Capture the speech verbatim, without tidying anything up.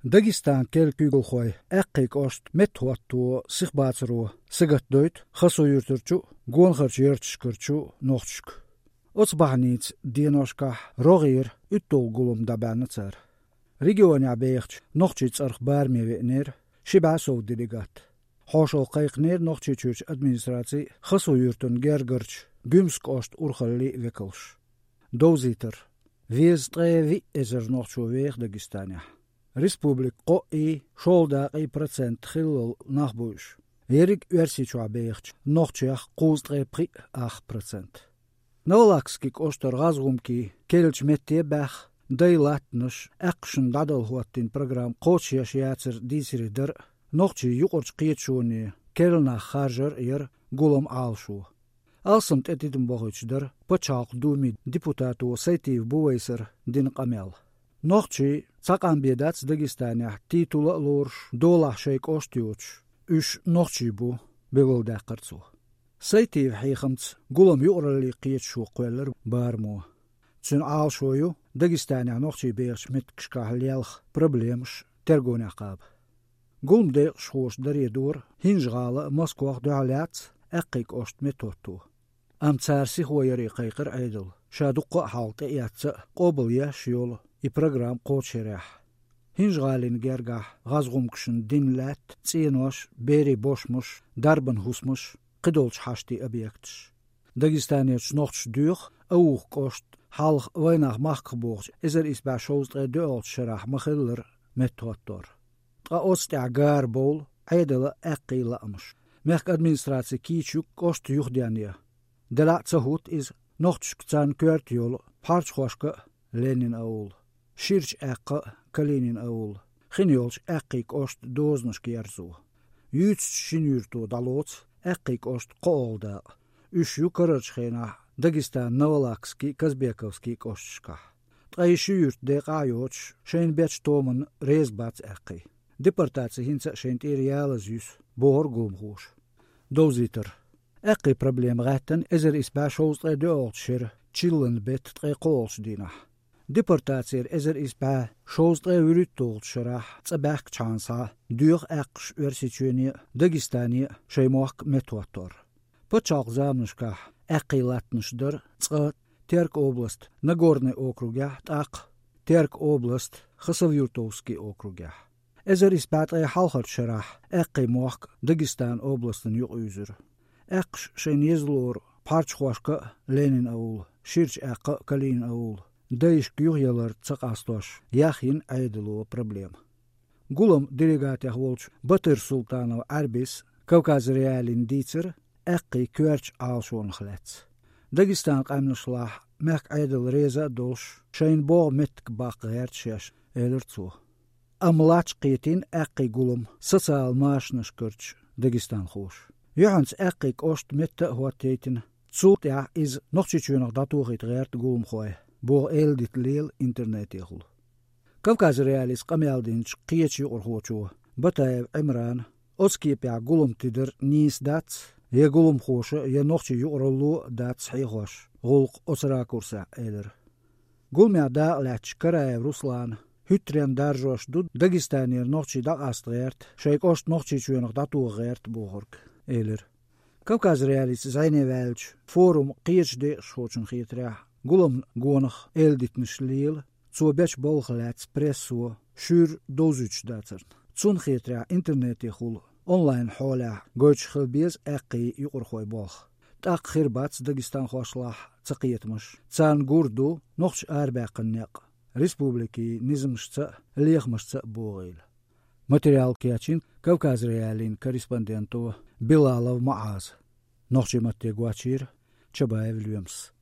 Дагестан керла куьйгалхой Аьккхий кӀошта меттахӀотто сиха бацаро сагатдойту Хасав-Юртарчу а, Гонахарчу ярташкарчу а нохчашка. Оцу бахьаница деношкахь рогӀера уьтталгӀа гулам дӀабаьхьна цара. Регионехь бехачу нохчийн цӀарах бараме веанера ши бӀе сов делегат. Хьошалла кхайкхинера Нохчийчуьрчу администрацин а, Хасав-Юьртан гергарчу Гуьмсан кӀоштан урхаллин а векалш. Довзийтар: везткъе виъ эзар нохчо веха Дагестанехь. Республикан кхоъ и, шолгӀа дакъа и процент хиллал нах бу уьш. Ерриг Оьрсийчохь бехачу нохчех кхузткъе пхиъ ах процент. Новолакский кӀоштара гӀазгӀумкий керлачу метте баьхна, дай латтанаш, аьккхашна дӀадала хӀоттийна программа кхочушъеш яцар дийцаре дара а, нохчийн юкъарчу кхеташоне керла нах харжар а яра гулам Ӏалашо. Алсам тӀе тидам бохуьйтуш дара Пачхьалкхан Думин депутато Сайтиев Бувайсара дина къамел. Нохчий цхьа къам бен дац Дагестанехь титула а лоруш, долахь шайн кӀошт а йоцуш, уьш нохчий бу, билгалдаьккхира цо. Сайтиевн хьехамца гулам юкъараллин кхеташо кхоьллира барамо. Цуьнан Ӏалашо ю Дагестанехь нохчий бехачу меттигашкахь лелхачу проблемаш тергонехь кхаба. Гуламан декъашхоша даре дора ХӀинжа-ГӀала а, Москох а дуьхьал яц Аьккхий кӀошта меттахӀотто. Амма цара сихо яре кхайкхира Ӏедал, ша дуккха а хьалха тӀеэцна а, къобалъеш а йолу и программа кхочушъярехь. ХӀинжа-ГӀалин гергахь гӀазгӀумкашна дина лаьтта, цӀенош, берийн бошмаш, дарбан хӀусамаш, кхидолчу хьаштийн объекташ. Дагестанерчу нохчаша доьху Аухин кӀошт хьалха вайнах махках бохучу эзар исс бӀе шовзткъе доьалгӀачу шарахь ма-хиллара меттахӀоттор. Ткъа оцу тӀехь гарабовлу Ӏедалан а, аьккхийн а лаамаш. Мехкан администраци кийча ю кӀошт юхаденъян. Делахь а ца хӀутту иза нохчашка царна коьрта йолу Пхьарчхошка а, Ленин-аул, Ширачу Аьккха а, Калинин-аул, хин йолчу Аьккхий кӀоштан дозанашка ерзо. Юьйцучу шина юьрто дӀалоцу Аьккхий кӀоштан кхоалгӀа дакъа. Уьш ю карарчу хенахь Дагестанан Новолакский, Казбековский кӀошташкахь. Ткъа и ши юьрт декъахь а йоцуш, шайна бечу томанна реза бац аьккхий. Депортаци хӀинца а шайна тӀера ялаза юьсу, бохура гуламхоша. Довзийтар: аьккхийн проблема гӀаьттина эзар исс бӀе шовзткъе доьалгӀачу шеран чиллан беттан ткъе кхоалгӀачу дийнахь. Депортацера эзар исс бӀе шовзткъе вуьрхӀитталгӀачу шарахь цӀа баьхкачхьана схьа доьху аьккхаша Оьрсийчоьне а, Дагестане а шайн мохк меттахӀоттор. Пачхьалкхан заманашкахь аьккхийн латтанаш дара цкъа Теркан областан Нагорный округехь, тӀаккха Теркан областан Хасавюртовский округехь. Эзар исс бӀе ткъе хьалхарчу шарахь аьккхийн мохк Дагестанан областана юкъаюьзура. Аьккхаша шайна еза лору Пхьарчхошка а, Ленин-аул, Ширачу Аьккха а, Калинин-аул, дайшка юхаялар ца къастош, яхйина Ӏедало проблема. Гуламан делегатех волчу Батыр-Султанов Ӏаьрбис Кавказ.Реалиина дийцира аьккхийн коьртачу Ӏалашонах лаьцна. Дагестанан къаьмнашлахь мехкан Ӏедал реза а долуш, шайна богӀу меттиг баккха гӀерта шаьш, элира цо. Амма лач кхетийна аьккхийн гулам социал машанашкарчу дагестанхоша. Юьхьанца аьккхийн кӀоштан метта а хӀоттайтина, цул тӀаьхьа иза Нохчийчоьнах дӀатохийта гӀерта гуламхой, боху эладита лела интернетехула. Кавказ.Реалица къамел динчу кхечу юкъархочо Батаев Ӏимрана оцу кепехь гулам тидар нийса дац, я гуламхоша, я нохчийн юкъаралло а дац хьехош, гӀуллакх оцу ракурсехь, элира. Гуламехь дакъа лаьттачу Караев Руслана хӀуьттаренна даржош ду Дагестанера нохчий дӀакъаста гӀерта, шайн кӀошт Нохчийчоьнах дӀатоха гӀерта бохург, элира. Кавказ.Реалица зӀене ваьллачу форуман кхечу декъашхочунна хетарехь, гуламна гонах эладитанаш лела, цо бечу балхах лаьцна прессо шуьйра довзуьйтуш дацарна. Цунна хетарехь, интернетехула онлайн хьолехь гойтуш хила беза аьккхийн юкъархойн болх. ТӀаккха хир бац дагестанхошлахь цакхетамаш, царна гур ду нохчаша арабаьккхина некъ республикин низамашца а, лехамашца а богӀийла. Материал кечйина Кавказ.Реалин корреспонденто Билалов МуӀаза. Нохчийн матте гочйийра Чабаев Лоьмас.